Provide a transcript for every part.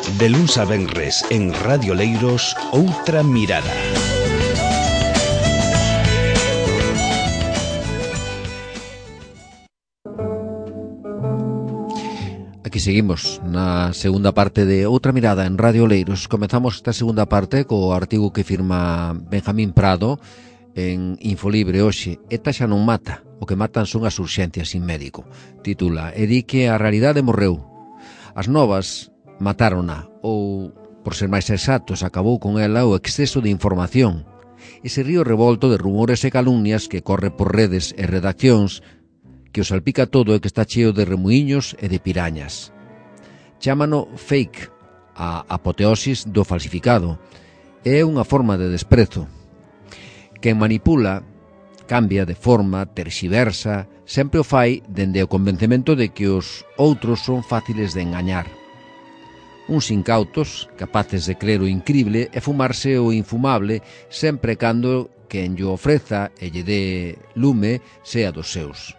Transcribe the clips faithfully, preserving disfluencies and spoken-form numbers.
De luns a venres en Radio Leiros, Outra Mirada. Aquí seguimos na segunda parte de Outra Mirada en Radio Leiros. Comezamos esta segunda parte co artigo que firma Benjamín Prado en Infolibre hoxe. Eta xa non mata, o que matan son as urxencias sin médico. Titula: E di que a realidade morreu. As novas matárona, ou, por ser máis exactos, acabou con ela o exceso de información. Ese río revolto de rumores e calumnias que corre por redes e redaccións, que o salpica todo e que está cheo de remuiños e de pirañas. Chámano fake, a apoteosis do falsificado. É unha forma de desprezo. Quen manipula, cambia de forma, terxiversa, sempre o fai dende o convencemento de que os outros son fáciles de engañar. Uns incautos, capaces de crer o incrible e fumarse o infumable, sempre cando quen lle ofreza e lle dé lume sea dos seus.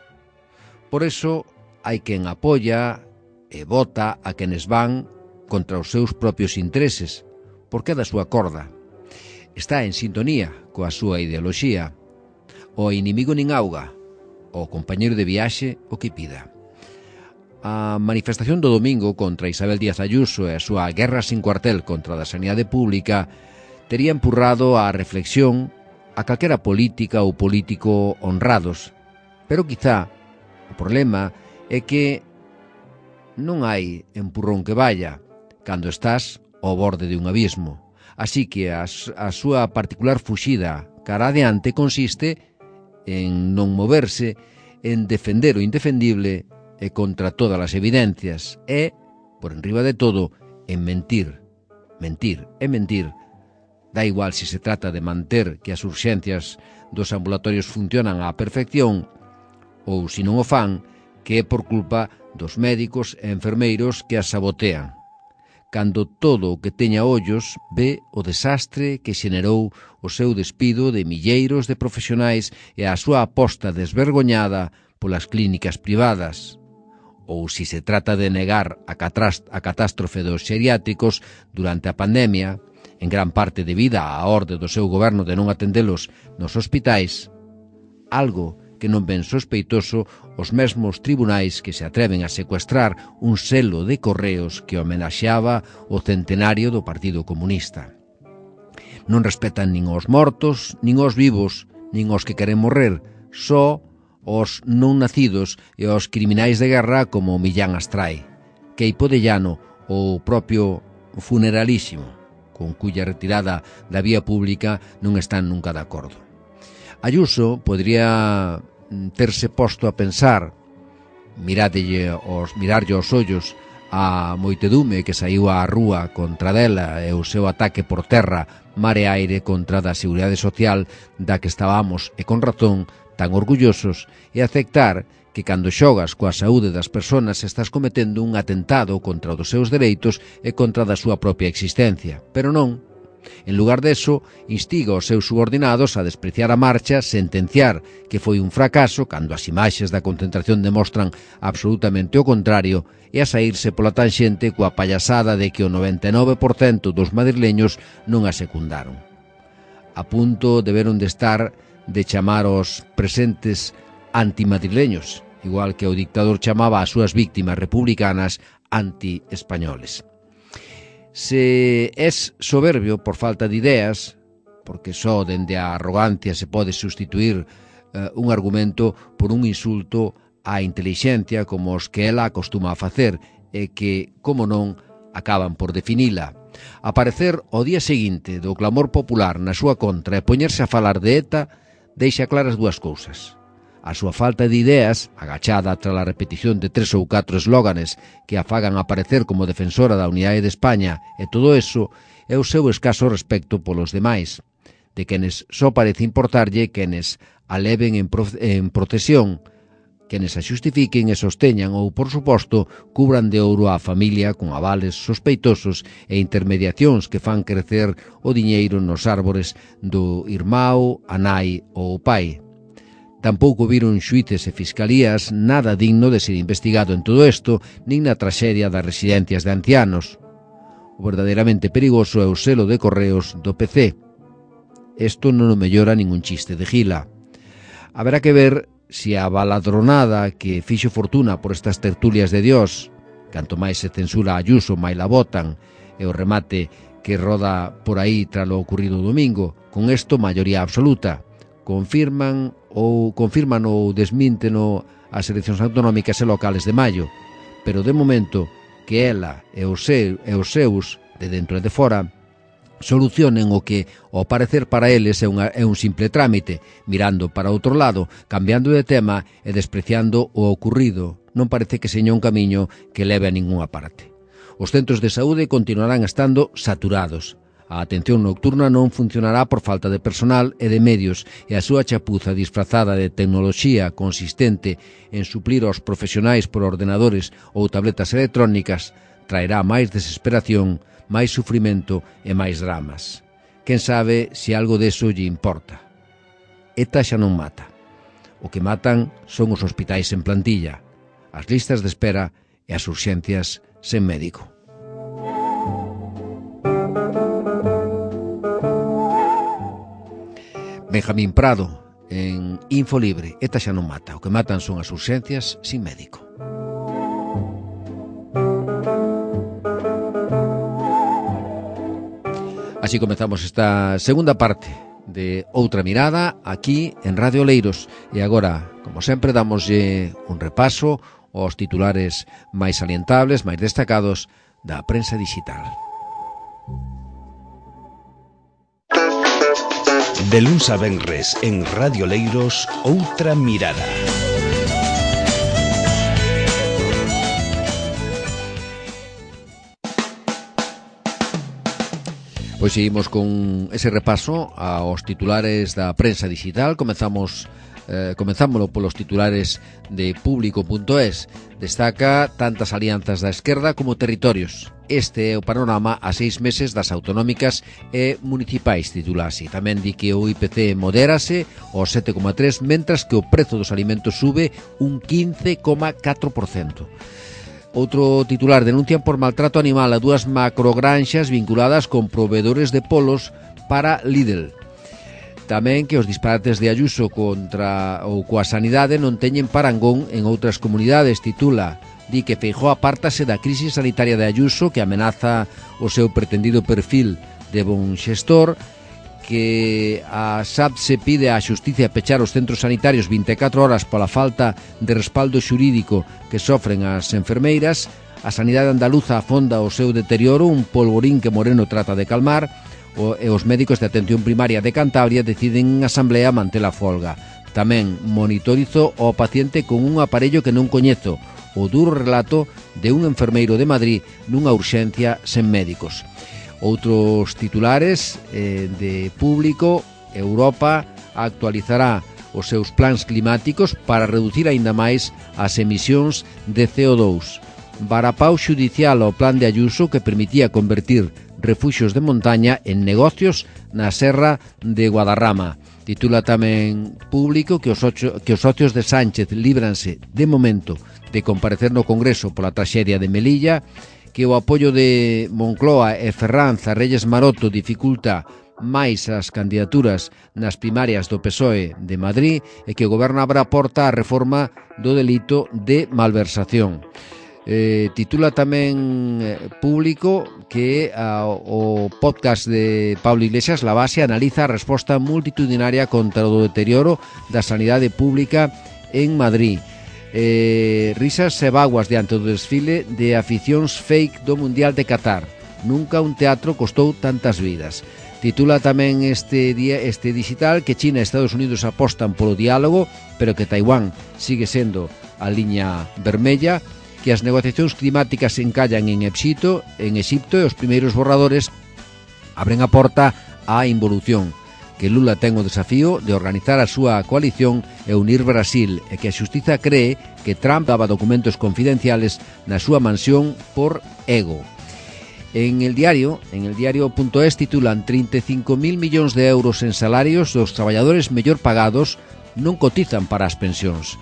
Por eso hai quen apoia e vota a quenes van contra os seus propios intereses, porque é da súa corda. Está en sintonía coa súa ideoloxía. O inimigo nin auga, o compañeiro de viaxe o que pida. A manifestación do domingo contra Isabel Díaz Ayuso e a súa guerra sin cuartel contra a sanidade pública tería empurrado á reflexión a calquera política ou político honrados, pero quizá o problema é que non hai empurrón que vaya cando estás ao borde de un abismo. Así que a, a súa particular fuxida cara adiante consiste en non moverse, en defender o indefendible e contra todas as evidencias e, por enriba de todo, en mentir. Mentir e mentir. Da igual se se trata de manter que as urxencias dos ambulatorios funcionan á perfección ou, se non o fan, que é por culpa dos médicos e enfermeiros que as sabotean. Cando todo o que teña ollos ve o desastre que xenerou o seu despido de milleiros de profesionais e a súa aposta desvergoñada polas clínicas privadas. Ou se se trata de negar a, a catástrofe dos xeriátricos durante a pandemia, en gran parte debida á orde do seu goberno de non atendelos nos hospitais, algo que non ven sospeitoso os mesmos tribunais que se atreven a secuestrar un selo de correos que homenaxeaba o centenario do Partido Comunista. Non respetan nin os mortos, nin os vivos, nin os que queren morrer, só os non nacidos e os criminais de guerra como Millán Astrai, Queipo de Llano ou o propio Funeralísimo, con cuya retirada da vía pública non están nunca de acordo. Ayuso podría terse posto a pensar, miradelle os, mirarlle os ollos a moitedume que saiu á rúa contra dela e o seu ataque por terra, mar e aire contra da Seguridade Social da que estábamos, e con razón, tan orgullosos, e aceptar que cando xogas coa saúde das persoas estás cometendo un atentado contra os seus dereitos e contra da súa propia existencia. Pero non. En lugar deso, instiga os seus subordinados a despreciar a marcha, sentenciar que foi un fracaso cando as imaxes da concentración demostran absolutamente o contrario e a saírse pola tanxente coa payasada de que o noventa e nove por cento dos madrileños non a secundaron. A punto deberon de estar de chamar os presentes antimadrileños, igual que o dictador chamaba as súas víctimas republicanas anti-españoles. Se es soberbio por falta de ideas, porque só dende a arrogancia se pode sustituir eh, un argumento por un insulto á intelixencia como os que ela acostuma a facer e que, como non, acaban por definila. Aparecer ao día seguinte do clamor popular na súa contra e poñerse a falar de ETA deixa claras dúas cousas. A súa falta de ideas, agachada tras a repetición de tres ou catro eslóganes que a fagan aparecer como defensora da unidade de España, e todo eso é o seu escaso respecto polos demais, de quenes só parece importarlle quenes a leven en, pro, en procesión, quenes a xustifiquen e sosteñan ou, por suposto, cubran de ouro á familia con avales sospeitosos e intermediacións que fan crecer o diñeiro nos árbores do irmão, a nai ou o pai. Tampouco viron xuíces e fiscalías nada digno de ser investigado en todo isto, nin na traxedia das residencias de ancianos. O verdadeiramente perigoso é o selo de correos do P C. Isto non o mellora ningún chiste de Gila. Haberá que ver se a baladronada que fixo fortuna por estas tertulias de Dios, canto máis se censura a Ayuso, máis la botan, e o remate que roda por aí tras o ocurrido domingo, con isto maioría absoluta, confirman ou confirman ou desmínteno as eleccións autonómicas e locales de maio, pero de momento que ela e os, seu, e os seus, de dentro e de fora, solucionen o que, ao parecer para eles, é, unha, é un simple trámite, mirando para outro lado, cambiando de tema e despreciando o ocurrido. Non parece que seña un camiño que leve a ningunha parte. Os centros de saúde continuarán estando saturados. A atención nocturna non funcionará por falta de personal e de medios, e a súa chapuza disfrazada de tecnoloxía consistente en suplir aos profesionais por ordenadores ou tabletas electrónicas traerá máis desesperación, máis sufrimento e máis dramas. Quen sabe se algo deso lle importa. ETA xa non mata. O que matan son os hospitais en plantilla, as listas de espera e as urxencias sen médico. Benjamín Prado, en Infolibre. ETA xa non mata. O que matan son as urxencias sin médico. Así comezamos esta segunda parte de Outra Mirada aquí en Radio Oleiros. E agora, como sempre, damoslle un repaso aos titulares máis salientables, máis destacados da prensa digital. De luns a venres en Radio Oleiros, Outra Mirada. Pois seguimos con ese repaso aos titulares da prensa digital. Comezamos eh, comenzámoslo polos titulares de público punto es. Destaca tantas alianzas da esquerda como territorios. Este é o panorama a seis meses das autonómicas e municipais, titula así. Tamén di que o I P C modérase ao sete coma tres, mentras que o prezo dos alimentos sube un quince coma catro por cento. Outro titular: denuncian por maltrato animal a dúas macrogranxas vinculadas con proveedores de polos para Lidl. Tamén que os disparates de Ayuso contra ou coa sanidade non teñen parangón en outras comunidades, titula. Di que Feijóo apártase da crise sanitaria de Ayuso, que amenaza o seu pretendido perfil de bon xestor, que a S A P se pide á Xustiza pechar os centros sanitarios vinte e catro horas pola falta de respaldo xurídico que sofren as enfermeiras. A sanidade andaluza afonda o seu deterioro, un polvorín que Moreno trata de calmar, e os médicos de atención primaria de Cantabria deciden en asamblea manter a folga. Tamén monitorizo ao paciente con un aparello que non coñezo, o duro relato de un enfermeiro de Madrid nunha urxencia sen médicos. Outros titulares eh, de público: Europa actualizará os seus plans climáticos para reducir aínda máis as emisións de C O dous. Varapau xudicial ao plan de Ayuso que permitía convertir refuxios de montaña en negocios na serra de Guadarrama. Titula tamén público que os, ocho, que os socios de Sánchez líbranse de momento de comparecer no Congreso pola traxedia de Melilla, que o apoio de Moncloa e Ferranz a Reyes Maroto dificulta máis as candidaturas nas primarias do P S O E de Madrid, e que o Goberno abre a porta á reforma do delito de malversación. Eh, titula tamén eh, público que a, o podcast de Pablo Iglesias, La Base, analiza a resposta multitudinaria contra o deterioro da sanidade pública en Madrid. Eh, risas e vaguas diante do desfile de aficións fake do Mundial de Qatar. Nunca un teatro costou tantas vidas. Titula tamén este día este digital que China e Estados Unidos apostan polo diálogo, pero que Taiwán sigue sendo a liña vermella, que as negociacións climáticas se encallan en Exipto, en Exipto e os primeiros borradores abren a porta á involución, que Lula ten o desafío de organizar a súa coalición e unir Brasil, e que a xustiza cree que Trump daba documentos confidenciales na súa mansión por ego. En el diario, en el diario punto es, titulan trinta e cinco mil millóns de euros en salarios dos traballadores mellor pagados non cotizan para as pensións.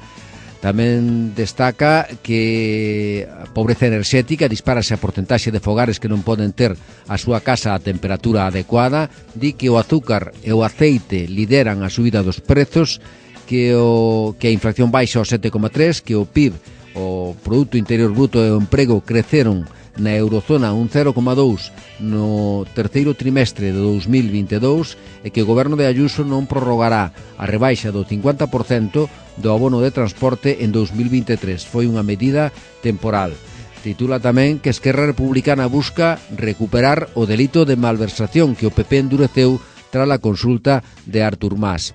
Tamén destaca que a pobreza enerxética dispárase a porcentaxe de fogares que non poden ter a súa casa a temperatura adecuada, di que o azúcar e o aceite lideran a subida dos prezos, que, o, que a inflación baixa ao sete coma tres, que o P I B, o Produto Interior Bruto e o emprego creceron na eurozona un cero coma dous no terceiro trimestre de dous mil vinte e dous e que o goberno de Ayuso non prorrogará a rebaixa do cincuenta por cento do abono de transporte en dous mil vinte e tres. Foi unha medida temporal. Titula tamén que Esquerra Republicana busca recuperar o delito de malversación que o P P endureceu tras a consulta de Artur Mas.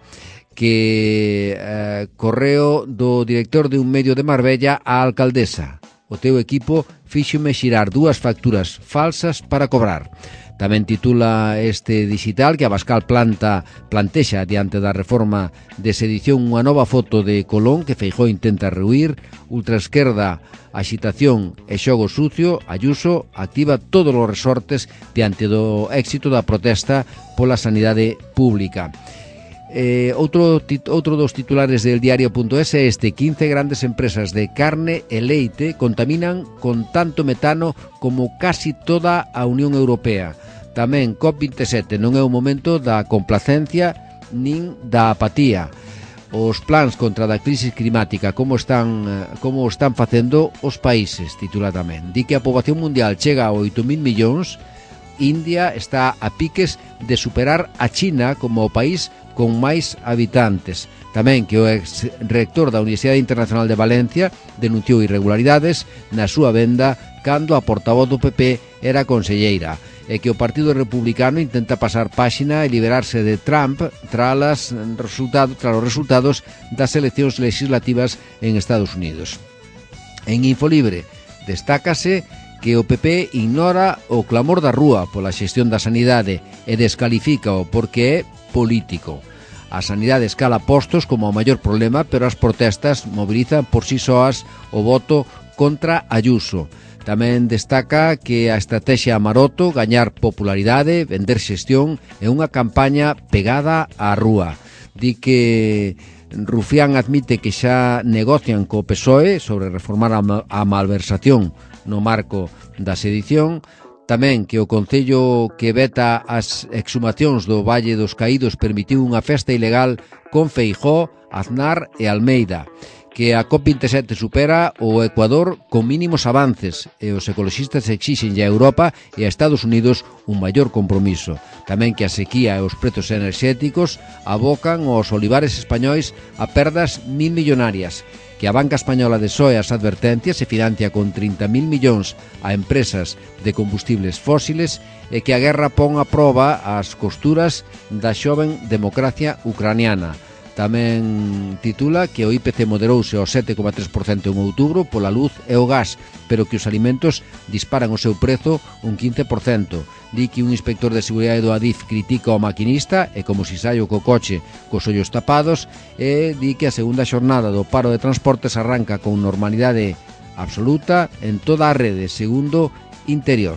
Que eh, correo do director de un medio de Marbella á alcaldesa. O teu equipo fíxome xirar dúas facturas falsas para cobrar. Tamén titula este digital que Abascal planta, plantexa diante da reforma de sedición unha nova foto de Colón que Feijóo intenta rehuir. Ultraesquerda, axitación e xogo sucio. Ayuso activa todos os resortes diante do éxito da protesta pola sanidade pública. Eh, outro, tit, outro dos titulares del diario punto es é este: quince grandes empresas de carne e leite contaminan con tanto metano como casi toda a Unión Europea. Tamén COP veintisiete non é o momento da complacencia nin da apatía. Os plans contra a crisis climática como están, como están facendo os países, titula tamén. Di que a poboación mundial chega a oito mil millóns. India está a piques de superar a China como o país con máis habitantes. Tamén que o ex-rector da Universidade Internacional de Valencia denunciou irregularidades na súa venda cando a portavoz do P P era conselleira, e que o Partido Republicano intenta pasar páxina e liberarse de Trump tras, resultado, tras os resultados das eleccións legislativas en Estados Unidos. En Infolibre destácase que o P P ignora o clamor da rúa pola xestión da sanidade e descalifícao porque é político. A sanidade escala postos como o maior problema, pero as protestas mobilizan por si soas o voto contra Ayuso. Tamén destaca que a estrategia Maroto, gañar popularidade, vender xestión, é unha campaña pegada á rúa. Di que Rufián admite que xa negocian co P S O E sobre reformar a malversación no marco da sedición. Tamén que o Concello que veta as exhumacións do Valle dos Caídos permitiu unha festa ilegal con Feijóo, Aznar e Almeida. Que a COP veintisiete supera o Ecuador con mínimos avances e os ecoloxistas exixen a Europa e a Estados Unidos un maior compromiso. Tamén que a sequía e os prezos enerxéticos abocan aos olivares españois a perdas mil millonarias. Que a banca española desoe as advertencias e financia con trinta mil millóns a empresas de combustibles fósiles e que a guerra pon a proba as costuras da xoven democracia ucraniana. Tamén titula que o I P C moderouse ao sete coma tres por cento en outubro pola luz e o gas, pero que os alimentos disparan o seu prezo un quince por cento. Di que un inspector de seguridade do Adif critica o maquinista e como si saio co coche cos ollos tapados, e di que a segunda xornada do paro de transportes arranca con normalidade absoluta en toda a rede, segundo Interior.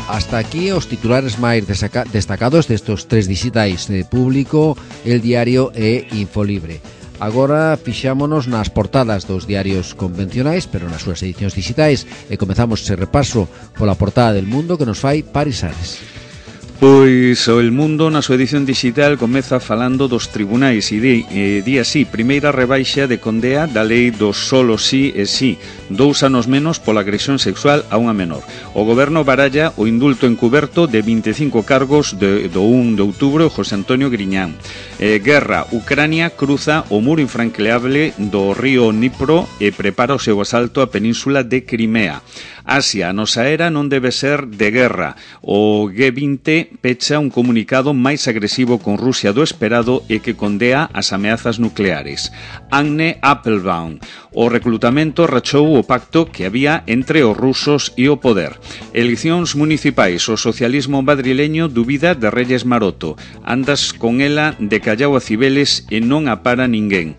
Hasta aquí os titulares máis destacados destos tres digitais de Público, El Diario e Infolibre. Agora fixámonos nas portadas dos diarios convencionais, pero nas súas edicións digitais, e comezamos ese repaso pola portada del Mundo que nos fai Paris Ares. Pois o El Mundo na súa edición digital comeza falando dos tribunais e di, e di así: primeira rebaixa de condea da lei do solo sí e sí, dous anos menos pola agresión sexual a unha menor. O goberno baralla o indulto encuberto de vinte e cinco cargos de, do un de outubro José Antonio Griñán. Eh, guerra, Ucrania cruza o muro infranqueable do río Dnipro e prepara o seu asalto á península de Crimea. Asia, a nosa era non debe ser de guerra. O G vinte pecha un comunicado máis agresivo con Rusia do esperado e que condea as ameazas nucleares. Agne Applebaum. O reclutamento rachou o pacto que había entre os rusos e o poder. Eleccións municipais. O socialismo madrileño dubida de Reyes Maroto. Andas con ela de Callao a Cibeles e non a para ninguén.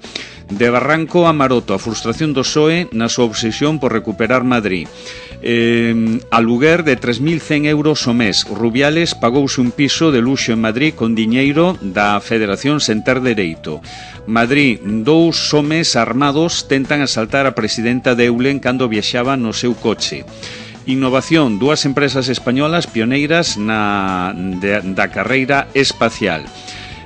De Barranco a Maroto, a frustración do P S O E na súa obsesión por recuperar Madrid. Eh, aluguer de tres mil cen euros o mes. Rubiales pagouse un piso de luxo en Madrid con diñeiro da Federación sen ter dereito. Madrid, dous homes armados tentan asaltar a presidenta de Eulen cando viaxaba no seu coche. Innovación, dúas empresas españolas pioneiras na de, da carreira espacial.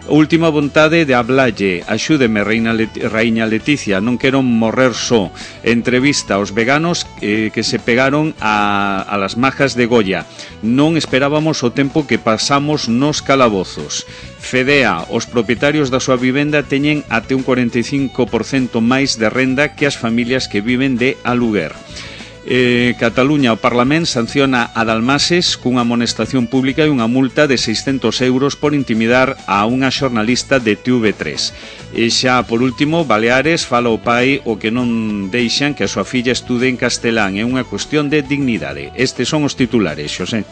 Última vontade de hablalle, axúdeme, Reina Let Raíña Leticia, non quero morrer só. Entrevista aos veganos eh, que se pegaron a, a las majas de Goya. Non esperábamos o tempo que pasamos nos calabozos. Fedea, os propietarios da súa vivenda teñen até un cuarenta e cinco por cento máis de renda que as familias que viven de aluguer. Eh, Cataluña, o Parlamento sanciona a Dalmases cunha amonestación pública e unha multa de seiscentos euros por intimidar a unha xornalista de T V tres. E xa, por último, Baleares fala o pai o que non deixan que a súa filla estude en castelán. É unha cuestión de dignidade. Estes son os titulares, Xosé.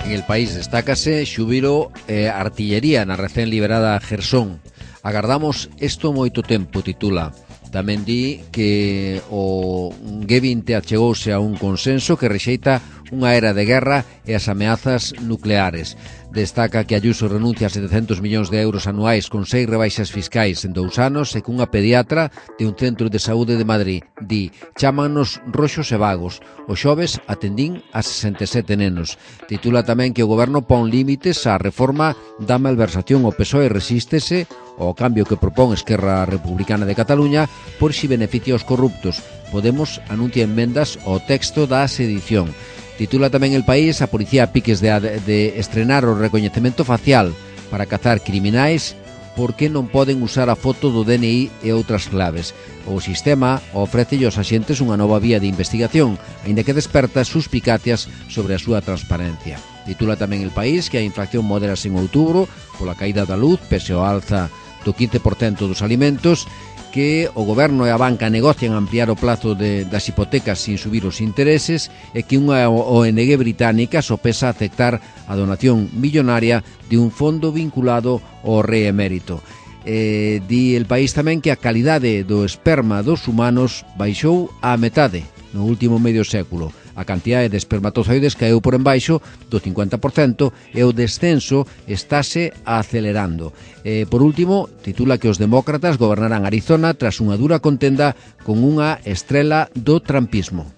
En El País destácase xúbilo e artillería na recén liberada Gersón. Agardamos isto moito tempo, titula. Tamén di que o G vinte achegouse a un consenso que rexeita unha era de guerra e as ameazas nucleares. Destaca que Ayuso renuncia a setecentos millóns de euros anuais con seis rebaixas fiscais en dous anos e cunha pediatra de un centro de saúde de Madrid. Di, chámanos roxos e vagos. O xoves atendín a sesenta e sete nenos. Titula tamén que o goberno pon límites á reforma da malversación. O P S O E resístese ao cambio que propón Esquerra Republicana de Cataluña por si beneficia aos corruptos. Podemos anuncia enmendas ao texto da sedición. Titula tamén El País, a policía a piques de, de estrenar o recoñecemento facial para cazar criminais porque non poden usar a foto do D N I e outras claves. O sistema ofrece aos axentes unha nova vía de investigación, aínda que desperta suspicacias sobre a súa transparencia. Titula tamén El País que a inflación modérase en outubro pola caída da luz, pese ao alza do quince por cento dos alimentos, que o goberno e a banca negocian ampliar o plazo de, das hipotecas sin subir os intereses e que unha O N G británica sopesa aceptar a donación millonaria de un fondo vinculado ao rei emérito. Eh, di El País tamén que a calidade do esperma dos humanos baixou á metade no último medio século. A cantidade de espermatozoides caeu por embaixo do cincuenta por cento e o descenso estáse acelerando. E, por último, titula que os demócratas gobernarán Arizona tras unha dura contenda con unha estrela do trampismo.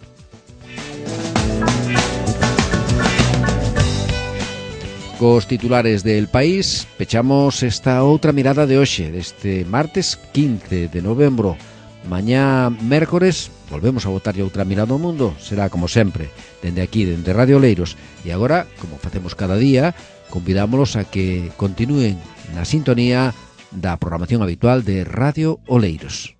Cos titulares del País, pechamos esta outra mirada de hoxe, deste martes quince de novembro. Mañá, mércores, volvemos a botarlle outra mirada ao mundo. Será como sempre, dende aquí, dende Radio Oleiros. E agora, como facemos cada día, convidámolos a que continúen na sintonía da programación habitual de Radio Oleiros.